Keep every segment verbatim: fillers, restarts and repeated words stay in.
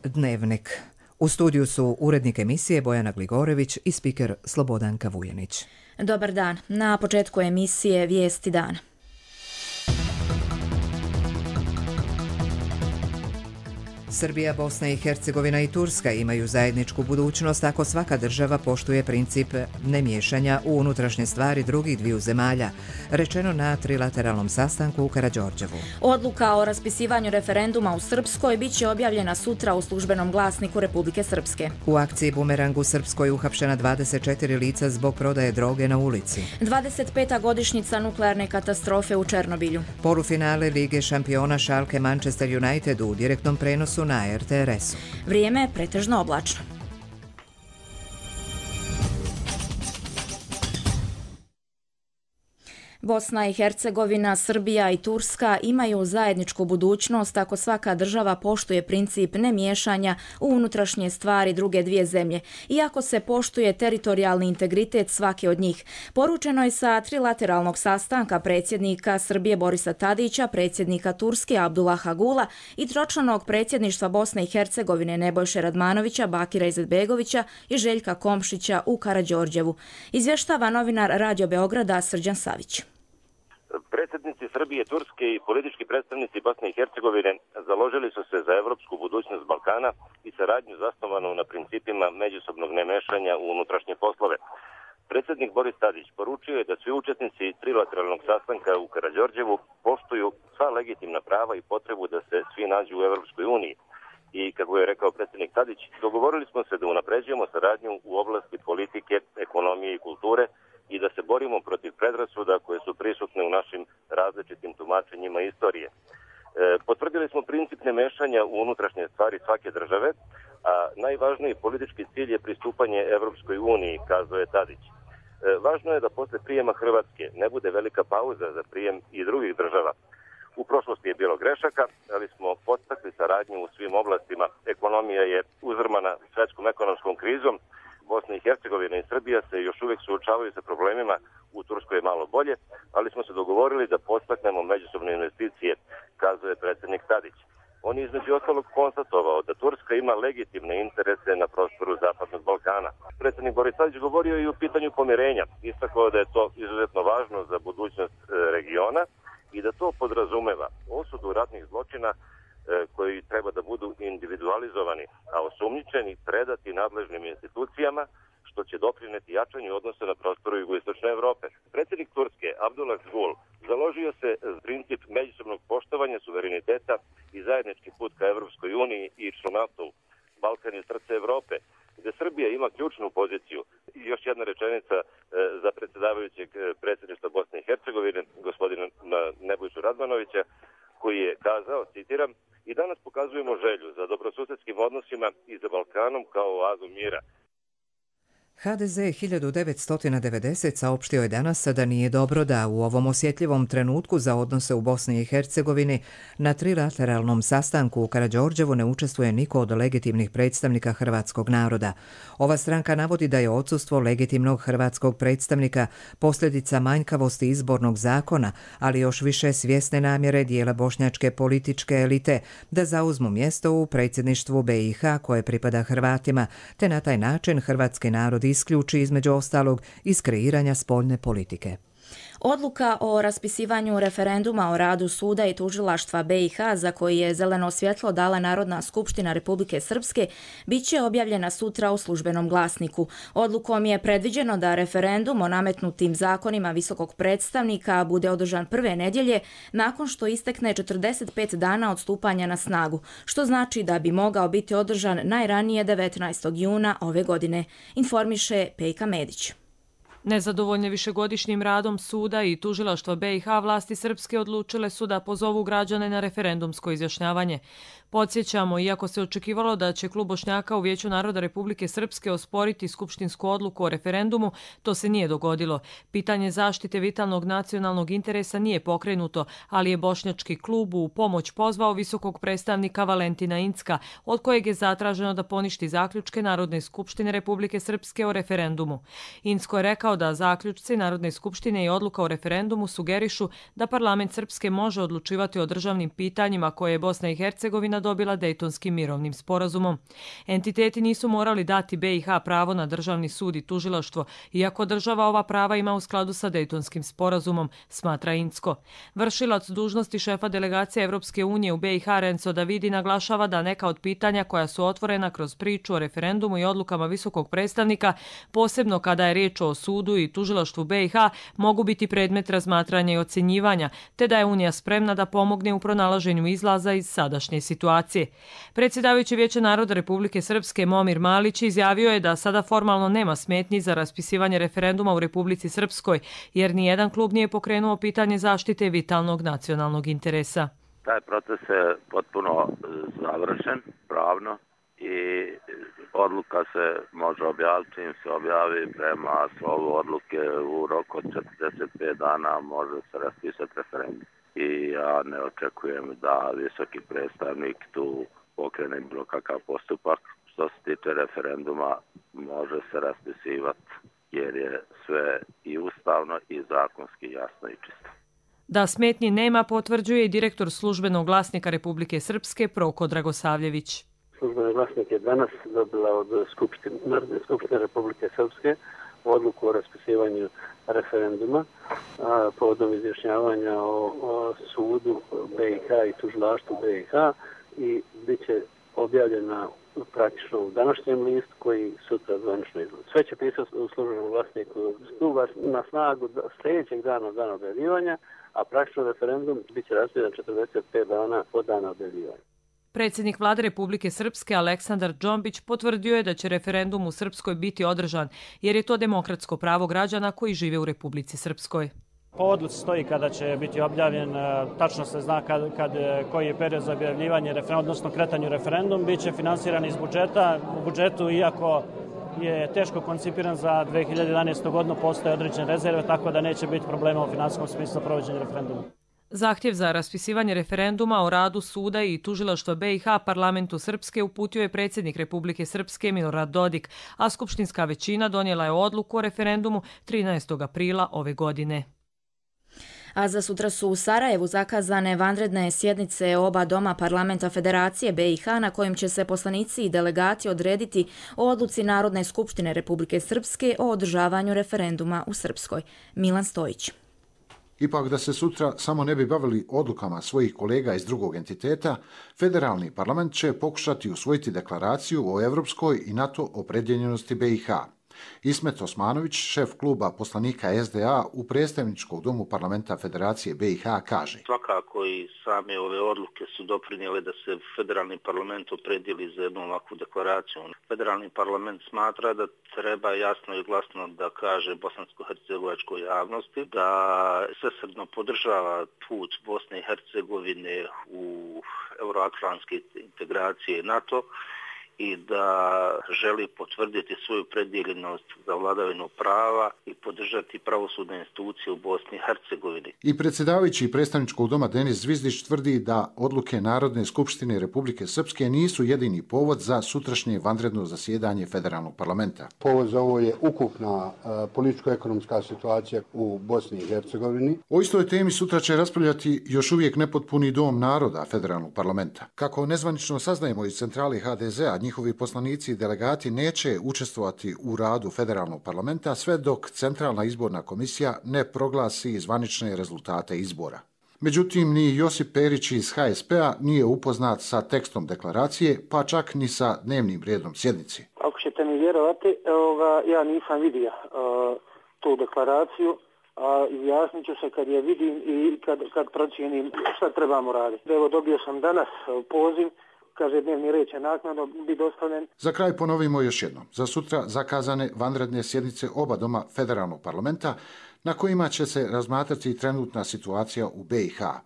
Dnevnik. U studiju su urednik emisije Bojana Gligorević i spiker Slobodanka Vujanić. Dobar dan. Na početku emisije Vijesti dana. Srbija, Bosna i Hercegovina i Turska imaju zajedničku budućnost ako svaka država poštuje princip nemiješanja u unutrašnje stvari drugih dviju zemalja, rečeno na trilateralnom sastanku u Karađorđevu. Odluka o raspisivanju referenduma u Srpskoj bit će objavljena sutra u službenom glasniku Republike Srpske. U akciji Bumerang u Srpskoj uhapšena dvadeset četiri lica zbog prodaje droge na ulici. dvadeset peta godišnjica nuklearne katastrofe u Černobilju. Polufinale Lige šampiona Schalke Manchester United u direktnom prenosu na er te er esu. Vrijeme je pretežno oblačno. Bosna i Hercegovina, Srbija i Turska imaju zajedničku budućnost ako svaka država poštuje princip nemiješanja u unutrašnje stvari druge dvije zemlje i ako se poštuje teritorijalni integritet svake od njih. Poručeno je sa trilateralnog sastanka predsjednika Srbije Borisa Tadića, predsjednika Turske Abdullaha Gula i tročlanog predsjedništva Bosne i Hercegovine Nebojše Radmanovića, Bakira Izetbegovića i Željka Komšića u Karađorđevu. Izvještava novinar Radio Beograda Srđan Savić. Predsjednici Srbije, Turske i politički predstavnici Bosne i Hercegovine založili su se za evropsku budućnost Balkana i saradnju zasnovanu na principima međusobnog nemešanja u unutrašnje poslove. Predsjednik Boris Tadić poručio je da svi učesnici trilateralnog sastanka u Karađorđevu poštuju sva legitimna prava i potrebu da se svi nađu u Evropskoj uniji. I, kako je rekao predsjednik Tadić, dogovorili smo se da unapređujemo saradnju u oblasti politike, ekonomije i kulture i da se borimo protiv predrasuda koje su prisutne u našim različitim tumačenjima istorije. E, potvrdili smo princip nemešanja u unutrašnje stvari svake države, a najvažniji politički cilj je pristupanje Evropskoj uniji, kazao je Tadić. E, važno je da posle prijema Hrvatske ne bude velika pauza za prijem i drugih država. U prošlosti je bilo grešaka, ali smo podstakli saradnju u svim oblastima. Ekonomija je uzrmana svetskom ekonomskom krizom. Bosna i Hercegovina i Srbija se još uvijek suočavaju sa problemima, u Turskoj je malo bolje, ali smo se dogovorili da podstaknemo međusobne investicije, kazuje predsjednik Tadić. On je između ostalog konstatovao da Turska ima legitimne interese na prostoru Zapadnog Balkana. Predsjednik Boris Tadić govorio i o pitanju pomirenja, istakao da je to izuzetno važno za budućnost regiona i da to podrazumeva osudu ratnih zločina koji treba da budu individualizovani, a osumnjičeni predati nadležnim institucijama, što će doprineti jačanju odnosa na prostoru jugoistočne Evrope. Predsjednik Turske Abdullah Gul založio se za princip međusobnog poštovanja suvereniteta i zajednički put ka Evropskoj uniji i članstvu. Balkan je srce Evrope, gde Srbija ima ključnu poziciju. I još jedna rečenica za predsjedavajućeg predsjedništva Bosne i Hercegovine, gospodina Nebojšu Radmanovića, koji je kazao, citiram, i danas pokazujemo želju za dobrosusedskim odnosima i za Balkanom kao oazu mira. ha de ze hiljadu devetsto devedeset saopštio je danas da nije dobro da u ovom osjetljivom trenutku za odnose u Bosni i Hercegovini na trilateralnom sastanku u Karađorđevu ne učestvuje niko od legitimnih predstavnika hrvatskog naroda. Ova stranka navodi da je odsustvo legitimnog hrvatskog predstavnika posljedica manjkavosti izbornog zakona, ali još više svjesne namjere dijela bošnjačke političke elite da zauzmu mjesto u predsjedništvu be i ha koje pripada Hrvatima, te na taj način hrvatski narod isključi između ostalog iz kreiranja spoljne politike. Odluka o raspisivanju referenduma o radu suda i tužilaštva be i ha, za koji je zeleno svjetlo dala Narodna skupština Republike Srpske, bit će objavljena sutra u službenom glasniku. Odlukom je predviđeno da referendum o nametnutim zakonima visokog predstavnika bude održan prve nedjelje nakon što istekne četrdeset pet dana od stupanja na snagu, što znači da bi mogao biti održan najranije devetnaestog juna ove godine, informiše Pejka Medić. Nezadovoljne višegodišnjim radom suda i tužilaštva be i ha, vlasti srpske odlučile su da pozovu građane na referendumsko izjašnjavanje. Podsjećamo, iako se očekivalo da će klub Bošnjaka u Vijeću naroda Republike Srpske osporiti skupštinsku odluku o referendumu, to se nije dogodilo. Pitanje zaštite vitalnog nacionalnog interesa nije pokrenuto, ali je bošnjački klub u pomoć pozvao visokog predstavnika Valentina Incka, od kojeg je zatraženo da poništi zaključke Narodne skupštine Republike Srpske o referendumu. Incko je rekao rekao da zaključci Narodne skupštine i odluka o referendumu sugerišu da parlament Srpske može odlučivati o državnim pitanjima koje je Bosna i Hercegovina dobila Dejtonskim mirovnim sporazumom. Entiteti nisu morali dati B i H pravo na državni sud i tužilaštvo, iako država ova prava ima u skladu sa Dejtonskim sporazumom, smatra Incko. Vršilac dužnosti šefa delegacije Evropske unije u B i H Renzo Davidi naglašava da neka od pitanja koja su otvorena kroz priču o referendumu i odlukama visokog predstavnika, posebno kada je riječ o sudu i tužilaštvu B i H, mogu biti predmet razmatranja i ocjenjivanja, te da je Unija spremna da pomogne u pronalaženju izlaza iz sadašnje situacije. Predsjedavajući Vijeća naroda Republike Srpske Momir Malić izjavio je da sada formalno nema smetnji za raspisivanje referenduma u Republici Srpskoj, jer nijedan klub nije pokrenuo pitanje zaštite vitalnog nacionalnog interesa. Taj proces je potpuno završen pravno i odluka se može objaviti, čim se objavi prema slovu odluke u roku od četrdeset pet dana može se raspisati referendum. I ja ne očekujem da visoki predstavnik tu pokrene bilo kakav postupak. Što se tiče referenduma, može se raspisivati jer je sve i ustavno i zakonski jasno i čisto. Da smetnji nema, potvrđuje i direktor službenog glasnika Republike Srpske Proko Dragosavljević. Službeni glasnik je danas dobila od Skupštine, Narodne skupštine Republike Srpske odluku o raspisivanju referenduma a, povodom izjašnjavanja o, o sudu B i H i tužilaštvu B i H i bit će objavljena praktično u današnjem listu koji sutra zvanično izlazi. Sve će pisati u službenom glasniku na snagu sljedećeg dana od dana objavljivanja, a praktično referendum bit će raspisan četrdeset pet dana od dana objavljivanja. Predsjednik vlade Republike Srpske Aleksandar Džombić potvrdio je da će referendum u Srpskoj biti održan, jer je to demokratsko pravo građana koji žive u Republici Srpskoj. Po odluci stoji kada će biti objavljen, tačno se zna kad, kad, koji je period za objavljivanje referenduma, odnosno kretanju referendum, bit će finansiran iz budžeta. U budžetu, iako je teško koncipiran za dve hiljade jedanaestu godinu, postoje određene rezerve, tako da neće biti problema u finansijskom smislu provođenja referenduma. Zahtjev za raspisivanje referenduma o radu suda i tužilaštva B i H parlamentu Srpske uputio je predsjednik Republike Srpske Milorad Dodik, a skupštinska većina donijela je odluku o referendumu trinaestog aprila ove godine. A za sutra su u Sarajevu zakazane vanredne sjednice oba doma parlamenta Federacije B i H na kojim će se poslanici i delegati odrediti o odluci Narodne skupštine Republike Srpske o održavanju referenduma u Srpskoj. Milan Stojić. Ipak da se sutra samo ne bi bavili odlukama svojih kolega iz drugog entiteta, federalni parlament će pokušati usvojiti deklaraciju o evropskoj i NATO opredjeljenosti B i H. Ismet Osmanović, šef kluba poslanika S D A u predstavničkom domu parlamenta Federacije B i H, kaže: Svakako i same ove odluke su doprinijele da se federalni parlament opredijeli za jednu ovakvu deklaraciju. Federalni parlament smatra da treba jasno i glasno da kaže bosansko-hercegovačkoj javnosti da svesrdno podržava put Bosne i Hercegovine u euroatlantske integracije NATO i da želi potvrditi svoju predjeljenost za vladavinu prava i podržati pravosudne institucije u Bosni i Hercegovini. I predsjedavajući predstavničkog doma Denis Zvizdić tvrdi da odluke Narodne skupštine Republike Srpske nisu jedini povod za sutrašnje vanredno zasjedanje federalnog parlamenta. Povod za ovo je ukupna uh, političko-ekonomska situacija u Bosni i Hercegovini. O istoj temi sutra će raspravljati još uvijek nepotpuni dom naroda federalnog parlamenta. Kako nezvanično saznajemo iz centrale H D Z-a, njihovi poslanici i delegati neće učestvovati u radu federalnog parlamenta sve dok Centralna izborna komisija ne proglasi zvanične rezultate izbora. Međutim, ni Josip Perić iz H S P-a nije upoznat sa tekstom deklaracije, pa čak ni sa dnevnim redom sjednici. Ako ćete mi vjerovati, ovoga, ja nisam vidio uh, tu deklaraciju, a izjasnit ću se kad je vidim i kad, kad procijenim šta trebamo raditi. Evo, dobio sam danas poziv, kaže dnevni red će naknadno biti dostavljen. Za kraj ponovimo još jednom. Za sutra zakazane vanredne sjednice oba doma federalnog parlamenta na kojima će se razmatrati trenutna situacija u B i H.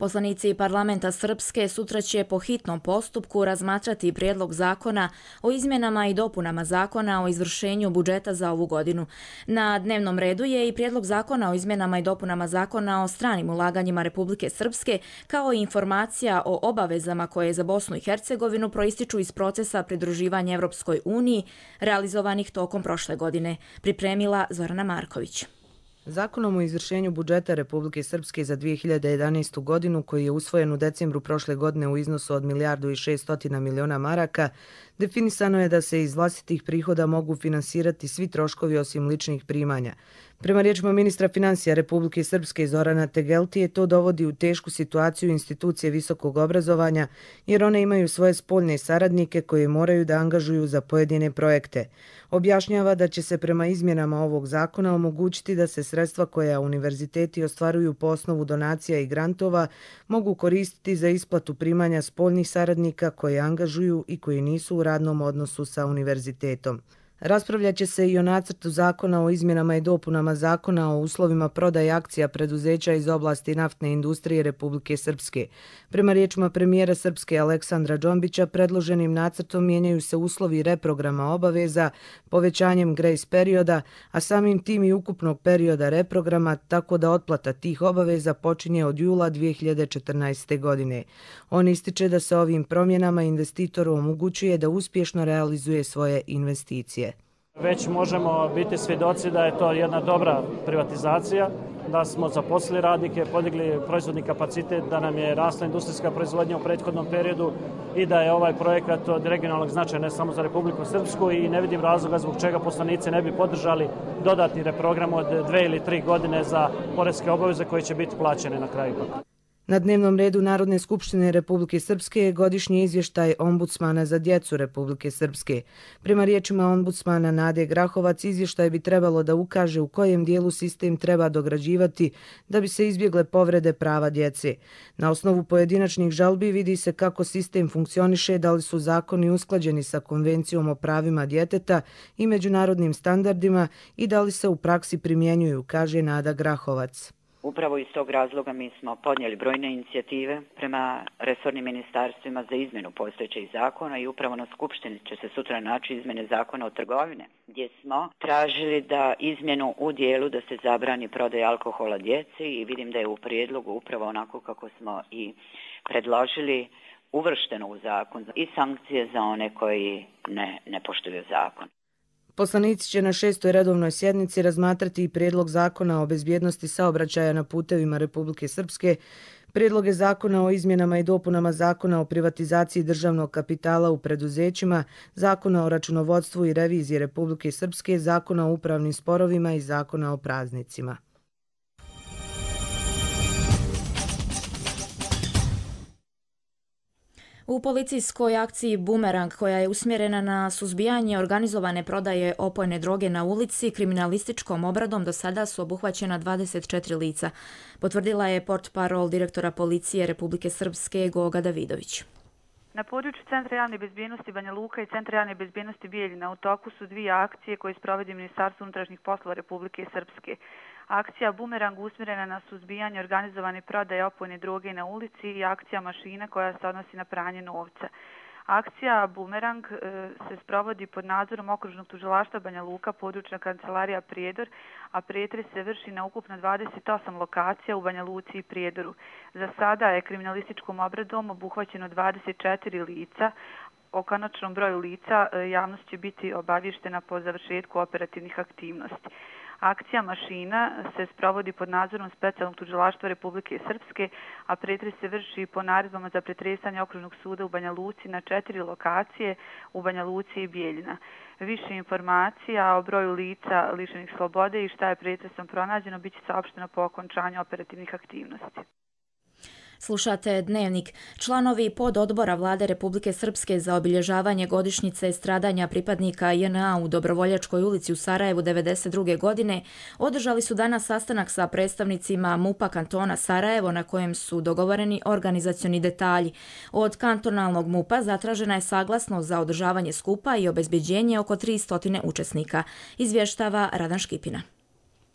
Poslanici parlamenta Srpske sutra će po hitnom postupku razmatrati prijedlog zakona o izmjenama i dopunama zakona o izvršenju budžeta za ovu godinu. Na dnevnom redu je i prijedlog zakona o izmjenama i dopunama zakona o stranim ulaganjima Republike Srpske, kao i informacija o obavezama koje za Bosnu i Hercegovinu proističu iz procesa pridruživanja Evropskoj uniji, realizovanih tokom prošle godine. Pripremila Zorana Marković. Zakonom o izvršenju budžeta Republike Srpske za dvije hiljade jedanaestu godinu, koji je usvojen u decembru prošle godine u iznosu od milijardu i šeststotina miliona maraka, definisano je da se iz vlastitih prihoda mogu finansirati svi troškovi osim ličnih primanja. Prema riječima ministra financija Republike Srpske Zorana Tegeltije, to dovodi u tešku situaciju institucije visokog obrazovanja, jer one imaju svoje spoljne saradnike koje moraju da angažuju za pojedine projekte. Objašnjava da će se prema izmjenama ovog zakona omogućiti da se sredstva koja univerziteti ostvaruju po osnovu donacija i grantova mogu koristiti za isplatu primanja spoljnih saradnika koje angažuju i koji nisu u radnom odnosu sa univerzitetom. Raspravljat će se i o nacrtu zakona o izmjenama i dopunama zakona o uslovima prodaje akcija preduzeća iz oblasti naftne industrije Republike Srpske. Prema riječima premijera Srpske Aleksandra Džombića, predloženim nacrtom mijenjaju se uslovi reprograma obaveza povećanjem grace perioda, a samim tim i ukupnog perioda reprograma, tako da otplata tih obaveza počinje od jula dvije hiljade četrnaeste. godine. On ističe da se ovim promjenama investitoru omogućuje da uspješno realizuje svoje investicije. Već možemo biti svjedoci da je to jedna dobra privatizacija, da smo zaposlili radnike, podigli proizvodni kapacitet, da nam je rasla industrijska proizvodnja u prethodnom periodu i da je ovaj projekat od regionalnog značaja ne samo za Republiku Srpsku i ne vidim razloga zbog čega poslanici ne bi podržali dodatni reprogram od dve ili tri godine za poreske obaveze koje će biti plaćene na kraju. Na dnevnom redu Narodne skupštine Republike Srpske je godišnji izvještaj ombudsmana za djecu Republike Srpske. Prema riječima ombudsmana Nade Grahovac, izvještaj bi trebalo da ukaže u kojem dijelu sistem treba dograđivati da bi se izbjegle povrede prava djece. Na osnovu pojedinačnih žalbi vidi se kako sistem funkcioniše, da li su zakoni usklađeni sa Konvencijom o pravima djeteta i međunarodnim standardima i da li se u praksi primjenjuju, kaže Nada Grahovac. Upravo iz tog razloga mi smo podnijeli brojne inicijative prema resornim ministarstvima za izmjenu postojećih zakona i upravo na Skupštini će se sutra naći izmjene zakona o trgovine, gdje smo tražili da izmjenu u dijelu da se zabrani prodaja alkohola djeci i vidim da je u prijedlogu upravo onako kako smo i predložili uvršteno u zakon i sankcije za one koji ne, ne poštuju zakon. Poslanici će na šestoj redovnoj sjednici razmatrati i prijedlog zakona o bezbjednosti saobraćaja na putevima Republike Srpske, prijedloge zakona o izmjenama i dopunama zakona o privatizaciji državnog kapitala u preduzećima, zakona o računovodstvu i reviziji Republike Srpske, zakona o upravnim sporovima i zakona o praznicima. U policijskoj akciji Bumerang, koja je usmjerena na suzbijanje organizovane prodaje opojne droge na ulici, kriminalističkom obradom do sada su obuhvaćena dvadeset četiri lica, potvrdila je portparol direktora policije Republike Srpske Goga Davidović. Na području Centra javne bezbjednosti Banja Luka i Centra javne bezbjednosti Bijeljina u toku su dvije akcije koje sprovodi Ministarstvo unutrašnjih poslova Republike Srpske. Akcija Bumerang usmjerena na suzbijanje organizovane prodaje opojne droge na ulici i akcija Mašina koja se odnosi na pranje novca. Akcija Bumerang e, se sprovodi pod nadzorom okružnog tužilaštva Banja Luka, područna kancelarija Prijedor, a pretres se vrši na ukupno dvadeset osam lokacija u Banja Luci i Prijedoru. Za sada je kriminalističkom obradom obuhvaćeno dvadeset četiri lica. O konačnom broju lica e, javnost će biti obavještena po završetku operativnih aktivnosti. Akcija Mašina se sprovodi pod nadzorom specijalnog tužilaštva Republike Srpske, a pretres se vrši po naredbama za pretresanje okružnog suda u Banja Luci na četiri lokacije u Banja Luci i Bijeljina. Više informacija o broju lica lišenih slobode i šta je pretresom pronađeno biće saopšteno po okončanju operativnih aktivnosti. Slušate Dnevnik. Članovi pododbora Vlade Republike Srpske za obilježavanje godišnjice stradanja pripadnika J N A u Dobrovoljačkoj ulici u Sarajevu devedeset druge. godine održali su danas sastanak sa predstavnicima MUP-a kantona Sarajevo na kojem su dogovoreni organizacioni detalji. Od kantonalnog MUP-a zatražena je saglasnost za održavanje skupa i obezbeđenje oko tristo učesnika, izvještava Radan Škipina.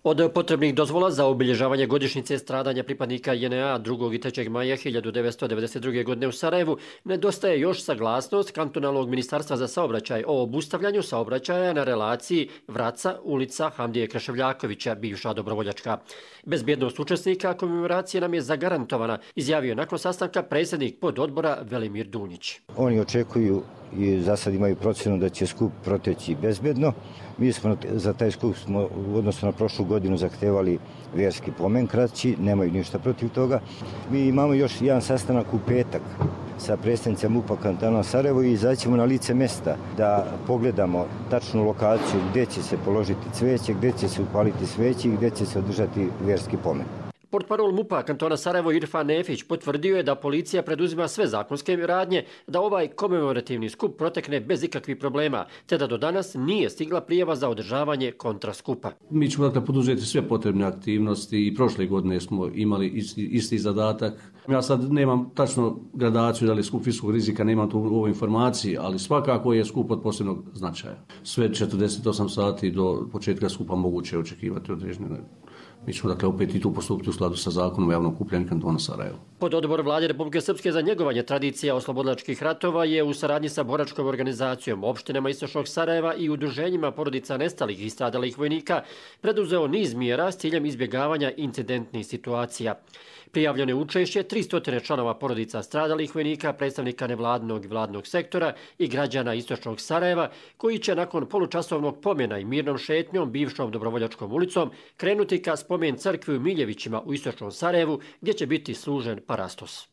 Od potrebnih dozvola za obilježavanje godišnjice stradanja pripadnika J N A drugog i trećeg maja hiljadu devetsto devedeset druge. godine u Sarajevu nedostaje još saglasnost Kantonalnog ministarstva za saobraćaj o obustavljanju saobraćaja na relaciji Vraca, ulica Hamdije Kreševljakovića, bivša dobrovoljačka. Bezbjednost učesnika komemoracije nam je zagarantovana, izjavio nakon sastanka predsjednik pododbora Velimir Dunjić. Oni očekuju i za sad imaju procjenu da će skup proteći bezbjedno. Mi smo za taj skup smo u odnosu na prošlu godinu zahtevali vjerski pomen kraći, nemaju ništa protiv toga. Mi imamo još jedan sastanak u petak sa predstavnicima M U P-a kantona Sarajevo i izaćemo na lice mjesta da pogledamo tačnu lokaciju gdje će se položiti cvijeće, gdje će se upaliti sveći i gdje će se održati vjerski pomen. Portparol M U P-a kantona Sarajevo Irfan Nefić potvrdio je da policija preduzima sve zakonske radnje da ovaj komemorativni skup protekne bez ikakvih problema, te da do danas nije stigla prijava za održavanje kontraskupa. Mi ćemo dakle poduzeti sve potrebne aktivnosti i prošle godine smo imali isti, isti zadatak. Ja sad nemam tačno gradaciju da li je skup visokog rizika, nemam tu u ovoj informaciji, ali svakako je skup od posebnog značaja. Sve četrdeset osam sati do početka skupa moguće je očekivati određene. Mi ćemo dakle opet i tu postupiti u skladu sa zakonom o javnom okupljanju kantona Sarajevo. Pododbor Vlade Republike Srpske za njegovanje tradicija oslobodilačkih ratova je u saradnji sa boračkom organizacijom, opštinama Istočnog Sarajeva i udruženjima porodica nestalih i stradalih vojnika preduzeo niz mjera s ciljem izbjegavanja incidentnih situacija. Prijavljeno je učešće tristo članova porodica stradalih vojnika, predstavnika nevladnog i vladnog sektora i građana Istočnog Sarajeva, koji će nakon polučasovnog pomena i mirnom šetnjom bivšom Dobrovoljačkom ulicom krenuti ka spomen crkvi u Miljevićima u Istočnom Sarajevu, gdje će biti služen parastos.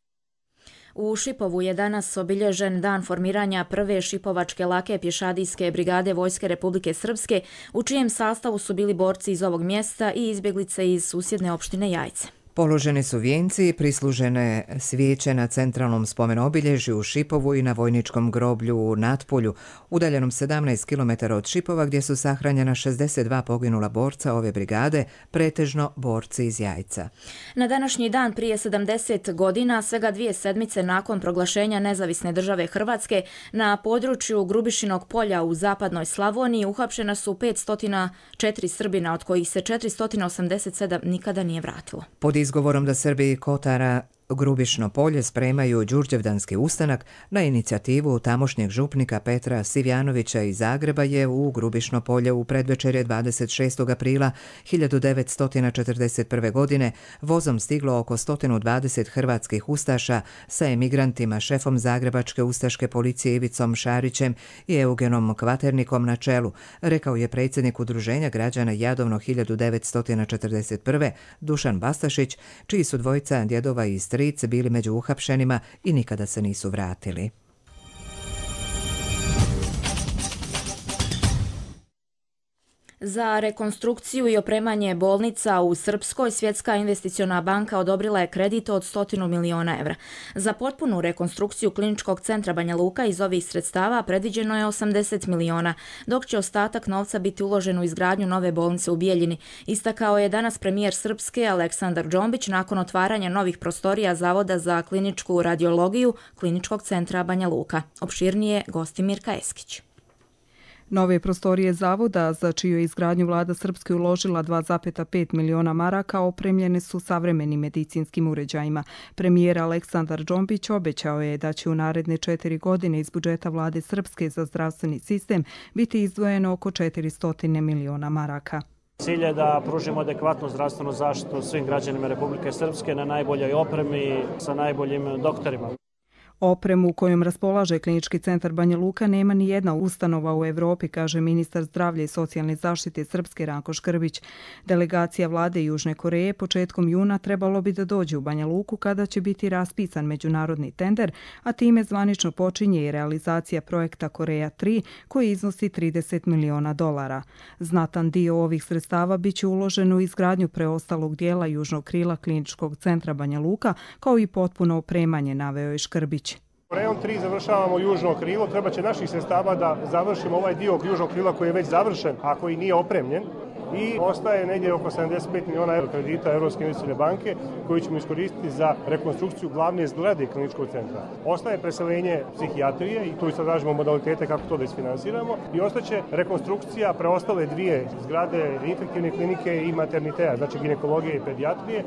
U Šipovu je danas obilježen dan formiranja prve šipovačke lake pješadijske brigade Vojske Republike Srpske, u čijem sastavu su bili borci iz ovog mjesta i izbjeglice iz susjedne opštine Jajce. Položeni su vijenci i prislužene svijeće na centralnom spomenobilježju u Šipovu i na vojničkom groblju u Natpolju, udaljenom sedamnaest kilometara od Šipova, gdje su sahranjena šezdeset dva poginula borca ove brigade, pretežno borci iz Jajca. Na današnji dan prije sedamdeset godina, svega dvije sedmice nakon proglašenja nezavisne države Hrvatske, na području Grubišinog polja u zapadnoj Slavoniji uhapšena su petsto četiri Srbina, od kojih se četiristo osamdeset sedam nikada nije vratilo. Pod izgovorom da Srbi Kotara Grubišno polje spremaju Đurđevdanski ustanak, na inicijativu tamošnjeg župnika Petra Sivjanovića iz Zagreba je u Grubišno polje u predvečerje dvadeset šestog aprila hiljadu devetsto četrdeset prve. godine vozom stiglo oko sto dvadeset hrvatskih ustaša sa emigrantima, šefom Zagrebačke ustaške policije Ivicom Šarićem i Eugenom Kvaternikom na čelu, rekao je predsjednik Udruženja građana Jadovno hiljadu devetsto četrdeset prve. Dušan Bastašić, čiji su dvojica djedova i stric bili među uhapšenima i nikada se nisu vratili. Za rekonstrukciju i opremanje bolnica u Srpskoj Svjetska investiciona banka odobrila je kredit od sto miliona evra. Za potpunu rekonstrukciju kliničkog centra Banja Luka iz ovih sredstava predviđeno je osamdeset miliona, dok će ostatak novca biti uložen u izgradnju nove bolnice u Bijeljini. Istakao je danas premijer Srpske Aleksandar Džombić nakon otvaranja novih prostorija Zavoda za kliničku radiologiju kliničkog centra Banja Luka. Opširnije gosti Mirka Eskić. Nove prostorije zavoda, za čiju izgradnju vlada Srpske uložila dva zarez pet miliona maraka, opremljene su savremenim medicinskim uređajima. Premijer Aleksandar Džombić obećao je da će u naredne četiri godine iz budžeta vlade Srpske za zdravstveni sistem biti izdvojeno oko četiristo miliona maraka. Cilj je da pružimo adekvatnu zdravstvenu zaštitu svim građanima Republike Srpske na najboljoj opremi sa najboljim doktorima. Opremu kojom raspolaže klinički centar Banja Luka nema ni jedna ustanova u Evropi, kaže ministar zdravlja i socijalne zaštite Srpske Ranko Škrbić. Delegacija vlade Južne Koreje početkom juna trebalo bi da dođe u Banja Luku kada će biti raspisan međunarodni tender, a time zvanično počinje i realizacija projekta Koreja tri koji iznosi trideset miliona dolara. Znatan dio ovih sredstava biće uložen u izgradnju preostalog dijela južnog krila kliničkog centra Banja Luka, kao i potpuno opremanje, naveo je Škrbić. Korejom tri završavamo južno krilo, treba će naših sredstava da završimo ovaj dio južnog krila koji je već završen, a koji nije opremljen. i ostaje negdje oko sedamdeset pet miliona eura kredita Europske investicijske banke koji ćemo iskoristiti za rekonstrukciju glavne zgrade kliničkog centra. Ostaje preseljenje psihijatrije i tu istražujemo modalitete kako to da isfinansiramo i ostaće rekonstrukcija preostale dvije zgrade infektivne klinike i maternitea, znači ginekologije i pedijatrije.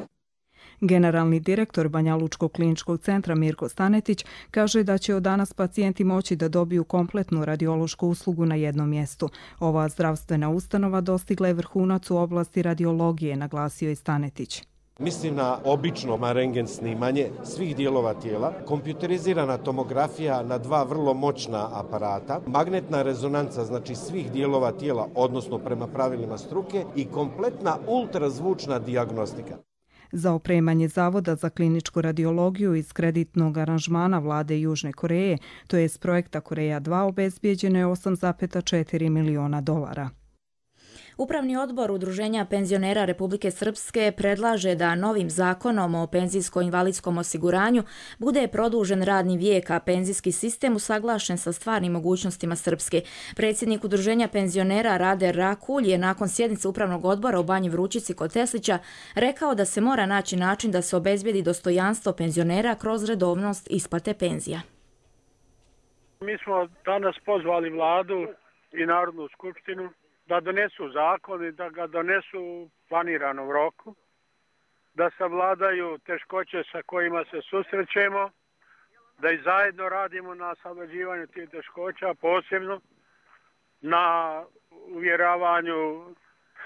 Generalni direktor Banjalučkog kliničkog centra Mirko Stanetić kaže da će od danas pacijenti moći da dobiju kompletnu radiološku uslugu na jednom mjestu. Ova zdravstvena ustanova dostigla je vrhunac u oblasti radiologije, naglasio je Stanetić. Mislim na obično rentgen snimanje svih dijelova tijela, kompjuterizirana tomografija na dva vrlo moćna aparata, magnetna rezonanca znači svih dijelova tijela, odnosno prema pravilima struke i kompletna ultrazvučna dijagnostika. Za opremanje Zavoda za kliničku radiologiju iz kreditnog aranžmana vlade Južne Koreje, to je s projekta Koreja dva, obezbijeđeno je osam zarez četiri miliona dolara. Upravni odbor Udruženja penzionera Republike Srpske predlaže da novim zakonom o penzijsko-invalidskom osiguranju bude produžen radni vijek, a penzijski sistem usaglašen sa stvarnim mogućnostima Srpske. Predsjednik Udruženja penzionera Rade Rakulj je nakon sjednice Upravnog odbora u Banji Vrućici kod Teslića rekao da se mora naći način da se obezbijedi dostojanstvo penzionera kroz redovnost isplate penzija. Mi smo danas pozvali vladu i Narodnu skupštinu da donesu zakon i da ga donesu u planiranom roku, da savladaju teškoće sa kojima se susrećemo, da i zajedno radimo na savlađivanju tih teškoća, posebno na uvjeravanju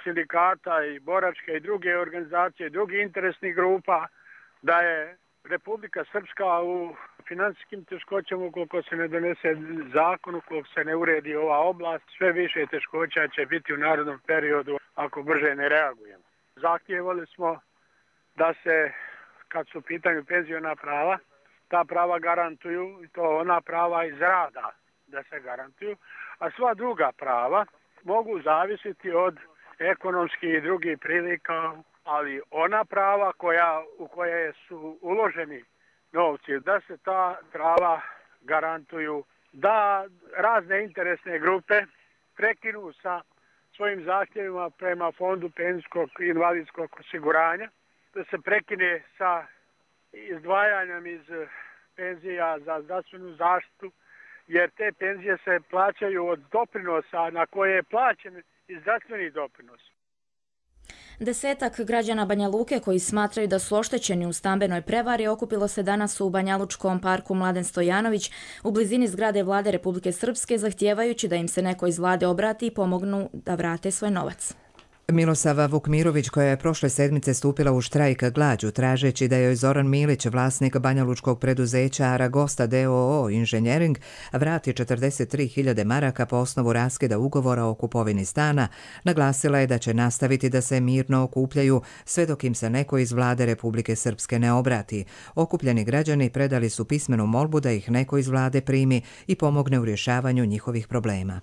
sindikata i boračke i druge organizacije i drugih interesnih grupa da je Republika Srpska u financijskim teškoćama ukoliko se ne donese zakon, ukoliko se ne uredi ova oblast, sve više teškoća će biti u narednom periodu ako brže ne reagujemo. Zahtijevali smo da se, kad su u pitanju penziona prava, ta prava garantuju, i to ona prava iz rada da se garantuju, a sva druga prava mogu zavisiti od ekonomskih i drugih prilika, ali ona prava koja, u koje su uloženi novci, da se ta prava garantuju, da razne interesne grupe prekinu sa svojim zahtjevima prema Fondu penzijskog i invalidskog osiguranja, da se prekine sa izdvajanjem iz penzija za zdravstvenu zaštitu, jer te penzije se plaćaju od doprinosa na koje je plaćen i zdravstveni doprinos. Desetak građana Banja Luke koji smatraju da su oštećeni u stambenoj prevari okupilo se danas u Banjalučkom parku Mladen Stojanović u blizini zgrade vlade Republike Srpske, zahtijevajući da im se neko iz vlade obrati i pomognu da vrate svoj novac. Milosava Vukmirović, koja je prošle sedmice stupila u štrajk glađu tražeći da joj Zoran Milić, vlasnik banjalučkog preduzeća Aragosta d o o Inženjering, vrati četrdeset tri hiljade maraka po osnovu raskida ugovora o kupovini stana, naglasila je da će nastaviti da se mirno okupljaju sve dok im se neko iz vlade Republike Srpske ne obrati. Okupljeni građani predali su pismenu molbu da ih neko iz vlade primi i pomogne u rješavanju njihovih problema.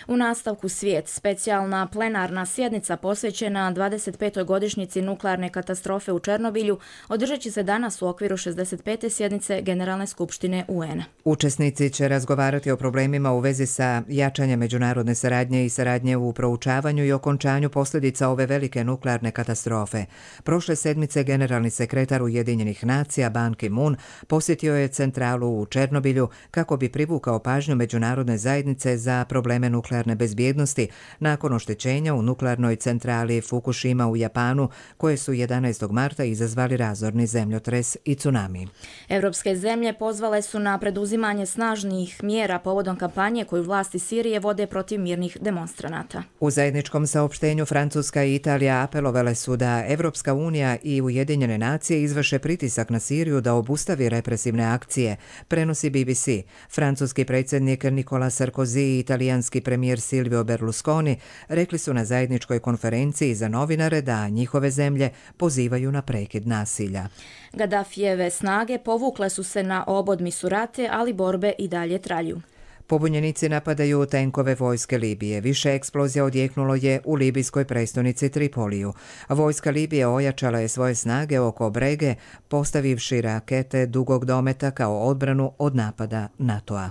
U nastavku Svijet, specijalna plenarna sjednica posvećena dvadeset petoj godišnjici nuklearne katastrofe u Černobilju održat će se danas u okviru šezdeset pete sjednice Generalne skupštine U N-a. Učesnici će razgovarati o problemima u vezi sa jačanjem međunarodne saradnje i saradnje u proučavanju i okončanju posljedica ove velike nuklearne katastrofe. Prošle sedmice generalni sekretar Ujedinjenih nacija Ban Ki-moon posjetio je centralu u Černobilju kako bi privukao pažnju međunarodne zajednice za probleme nuklearne bezbjednosti nakon oštećenja u nuklearnoj centrali Fukushima u Japanu, koje su jedanaestog marta izazvali razorni zemljotres i tsunami. Evropske zemlje pozvale su na preduzimanje snažnih mjera povodom kampanje koju vlasti Sirije vode protiv mirnih demonstranata. U zajedničkom saopštenju Francuska i Italija apelovale su da Evropska unija i Ujedinjene nacije izvrše pritisak na Siriju da obustavi represivne akcije, prenosi B B C. Francuski predsjednik Nicolas Sarkozy i italijanski premijer Silvio Berlusconi rekli su na zajedničkoj konferenciji za novinare da njihove zemlje pozivaju na prekid nasilja. Gaddafijeve snage povukle su se na obod Misurate, ali borbe i dalje traju. Pobunjenici napadaju tenkove vojske Libije. Više eksplozija odjeknulo je u libijskoj prestonici Tripoliju. Vojska Libije ojačala je svoje snage oko Brege, postavivši rakete dugog dometa kao odbranu od napada NATO-a.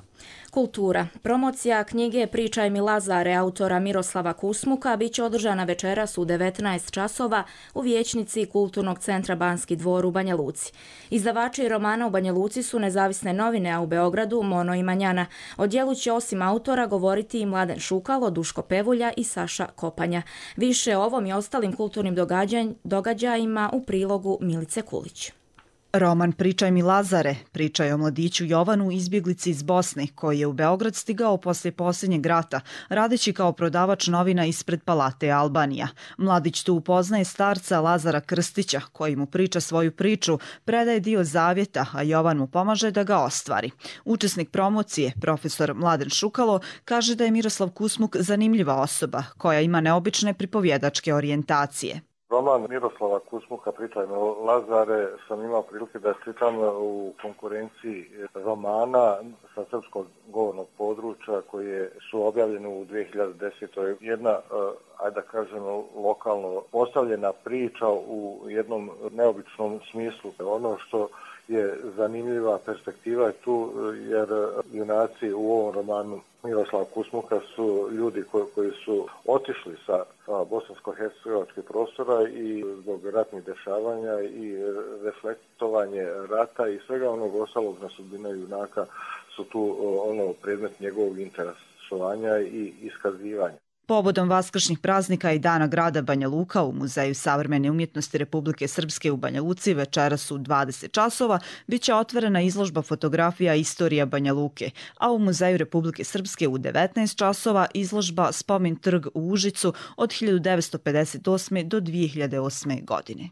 Kultura. Promocija knjige Pričaj mi Lazare autora Miroslava Kusmuka bit će održana večeras u devetnaest časova u vijećnici Kulturnog centra Banski dvor u Banja Luci. Izdavači romana u Banja Luci su Nezavisne novine, a u Beogradu Mono i Manjana. O djelu će osim autora govoriti i Mladen Šukalo, Duško Pevulja i Saša Kopanja. Više o ovom i ostalim kulturnim događajima u prilogu Milice Kulić. Roman Pričaj mi Lazare priča je o mladiću Jovanu, izbjeglici iz Bosne, koji je u Beograd stigao poslije posljednjeg rata, radeći kao prodavač novina ispred Palate Albanija. Mladić tu upoznaje starca Lazara Krstića, koji mu priča svoju priču, predaje dio zavjeta, a Jovan mu pomaže da ga ostvari. Učesnik promocije, profesor Mladen Šukalo, kaže da je Miroslav Kusmuk zanimljiva osoba, koja ima neobične pripovjedačke orijentacije. Roman Miroslava Kusmuka Pričaj mi Lazare sam imao prilike da čitam u konkurenciji romana sa srpskog govornog područja koji su objavljeni u dvije hiljade desetoj. Jedna, ajde da kažemo, lokalno postavljena priča u jednom neobičnom smislu. Ono što je zanimljiva perspektiva je tu, jer junaci u ovom romanu Miroslava Kusmuka su ljudi koji, koji su otišli sa bosansko-hercegovačkih prostora i zbog ratnih dešavanja i reflektovanje rata i svega onog ostalog na sudbine junaka su tu ono predmet njegovog interesovanja i iskazivanja. Povodom vaskršnjih praznika i Dana grada Banja Luka u Muzeju savremene umjetnosti Republike Srpske u Banja Luci večeras u dvadeset časova bit će otvorena izložba fotografija Istorija Banja Luke, a u Muzeju Republike Srpske u devetnaest časova izložba Spomin trg u Užicu od hiljadu devetsto pedeset osme do dvije hiljade osme. godine.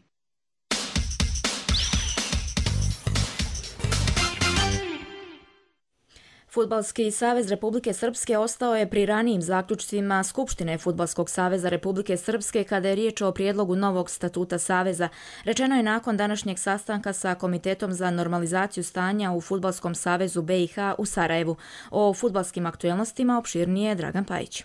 Fudbalski savez Republike Srpske ostao je pri ranijim zaključcima Skupštine Fudbalskog saveza Republike Srpske kada je riječ o prijedlogu novog statuta saveza. Rečeno je nakon današnjeg sastanka sa Komitetom za normalizaciju stanja u Fudbalskom savezu B i H u Sarajevu. O fudbalskim aktuelnostima opširnije Dragan Pajić.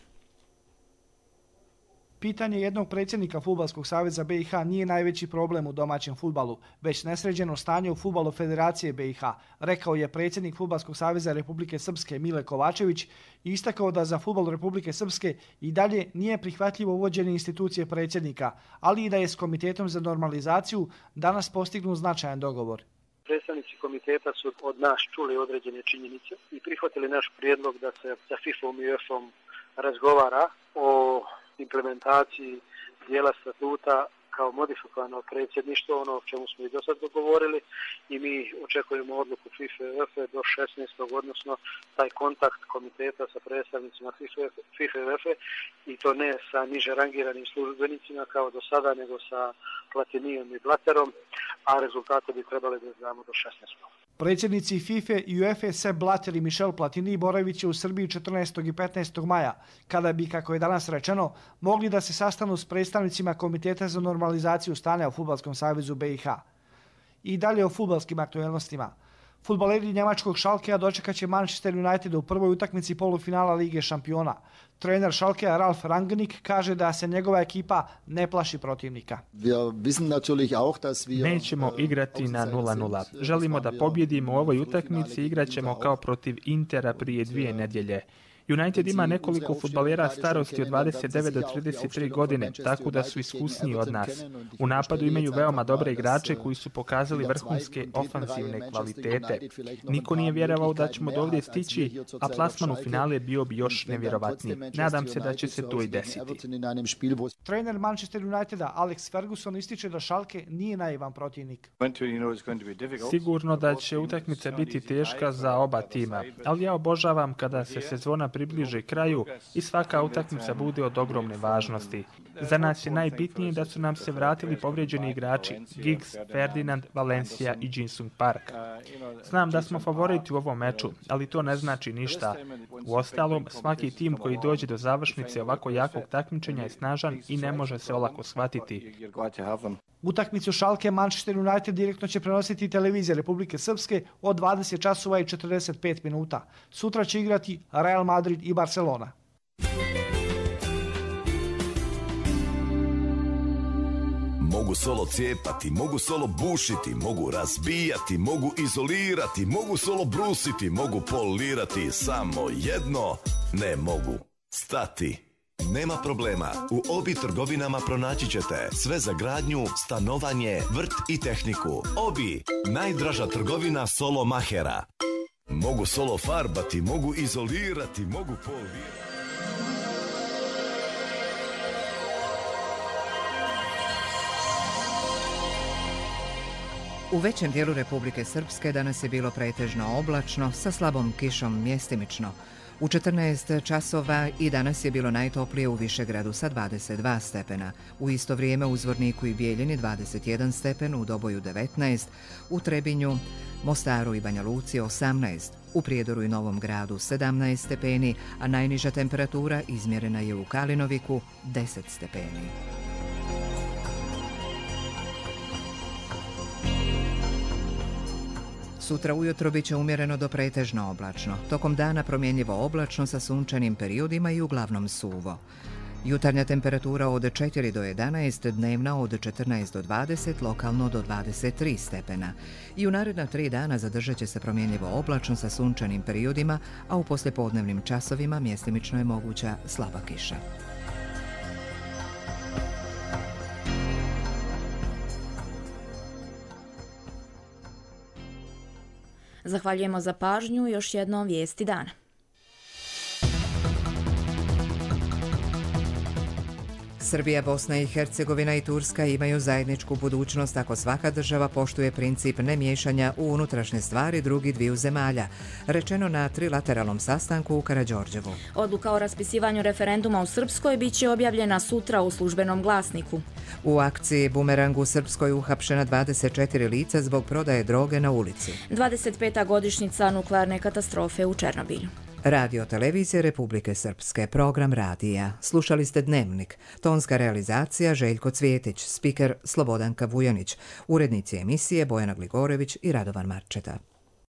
Pitanje jednog predsjednika Fudbalskog saveza B i H nije najveći problem u domaćem fudbalu, već nesređeno stanje u fudbalu Federacije B i H, rekao je predsjednik Fudbalskog saveza Republike Srpske Mile Kovačević i istakao da za fudbal Republike Srpske i dalje nije prihvatljivo uvođenje institucije predsjednika, ali i da je s Komitetom za normalizaciju danas postignut značajan dogovor. Predstavnici komiteta su od nas čuli određene činjenice i prihvatili naš prijedlog da se sa FIFA-om i UEFA-om razgovara o implementaciji dijela statuta kao modifikovano predsjedništvo, ono o čemu smo i do sad dogovorili, i mi očekujemo odluku FIFA i UEFA do šesnaestog odnosno taj kontakt komiteta sa predstavnicima FIFA i UEFA i to ne sa niže rangiranim službenicima kao do sada, nego sa Platinijom i Blaterom, a rezultate bi trebali da znamo do šesnaestog. Predsjednici FIFA i UEFA Sepp Blatter i Michel Platini boravit će u Srbiji četrnaestog i petnaestog maja, kada bi, kako je danas rečeno, mogli da se sastanu s predstavnicima Komiteta za normalizaciju stanja u Fudbalskom savezu B i H. I dalje o fudbalskim aktuelnostima. Fudbaleri njemačkog Schalkea dočekat će Manchester United u prvoj utakmici polufinala Lige šampiona. Trener Schalkea Ralf Rangnick kaže da se njegova ekipa ne plaši protivnika. Nećemo igrati na nula nula. Želimo da pobjedimo u ovoj utakmici i igrat ćemo kao protiv Intera prije dvije nedjelje. United ima nekoliko fudbalera starosti od dvadeset devet do trideset tri godine, tako da su iskusniji od nas. U napadu imaju veoma dobre igrače koji su pokazali vrhunske ofanzivne kvalitete. Niko nije vjerovao da ćemo do ovdje stići, a plasman u finale bio bi još nevjerovatniji. Nadam se da će se to i desiti. Trener Manchester Uniteda Alex Ferguson ističe da Schalke nije naivan protivnik. Sigurno da će utakmica biti teška za oba tima, ali ja obožavam kada se sezona približe kraju i svaka utakmica bude od ogromne važnosti. Za nas je najbitnije da su nam se vratili povrijeđeni igrači Giggs, Ferdinand, Valencia i Jin-Sung Park. Znam da smo favoriti u ovom meču, ali to ne znači ništa. Uostalom, svaki tim koji dođe do završnice ovako jakog takmičenja je snažan i ne može se olako shvatiti. Utakmicu Schalke Manchester United direktno će prenositi televizija Republike Srpske od dvadeset časova i četrdeset pet minuta. Sutra će igrati Real Madrid i Mogu solo cijepati, mogu solo bušiti, mogu razbijati, mogu izolirati, mogu solo brusiti, mogu polirati, samo jedno ne mogu. Stati. Nema problema, u Obi trgovinama pronaći ćete sve za gradnju, stanovanje, vrt i tehniku. Obi, najdraža trgovina solo mahera. Mogu solo farbati, mogu izolirati, mogu polirati. U većem dijelu Republike Srpske danas je bilo pretežno oblačno sa slabom kišom mjestimično. U četrnaest časova i danas je bilo najtoplije u Višegradu sa dvadeset dva stepena. U isto vrijeme u Zvorniku i Bijeljini dvadeset jedan stepen, u Doboju devetnaest, u Trebinju, Mostaru i Banja Luci osamnaest, u Prijedoru i Novom Gradu sedamnaest stepeni, a najniža temperatura izmjerena je u Kalinoviku deset stepeni. Sutra ujutro bit će umjereno do pretežno oblačno. Tokom dana promjenjivo oblačno sa sunčanim periodima i uglavnom suvo. Jutarnja temperatura od četiri do jedanaest, dnevna od četrnaest do dvadeset, lokalno do dvadeset tri stepena. I u naredna tri dana zadržat će se promjenjivo oblačno sa sunčanim periodima, a u poslijepodnevnim časovima mjestimično je moguća slaba kiša. Zahvaljujemo za pažnju, još jednom vijesti dana. Srbija, Bosna i Hercegovina i Turska imaju zajedničku budućnost ako svaka država poštuje princip nemiješanja u unutrašnje stvari drugih dviju zemalja, rečeno na trilateralnom sastanku u Karađorđevu. Odluka o raspisivanju referenduma u Srpskoj bit će objavljena sutra u službenom glasniku. U akciji Bumerang u Srpskoj uhapšena dvadeset četiri lica zbog prodaje droge na ulici. dvadeset peta godišnjica nuklearne katastrofe u Černobilju. Radio televizije Republike Srpske, program radija. Slušali ste Dnevnik. Tonska realizacija Željko Cvjetić, spiker Slobodanka Vujanić, urednici emisije Bojana Gligorević i Radovan Marčeta.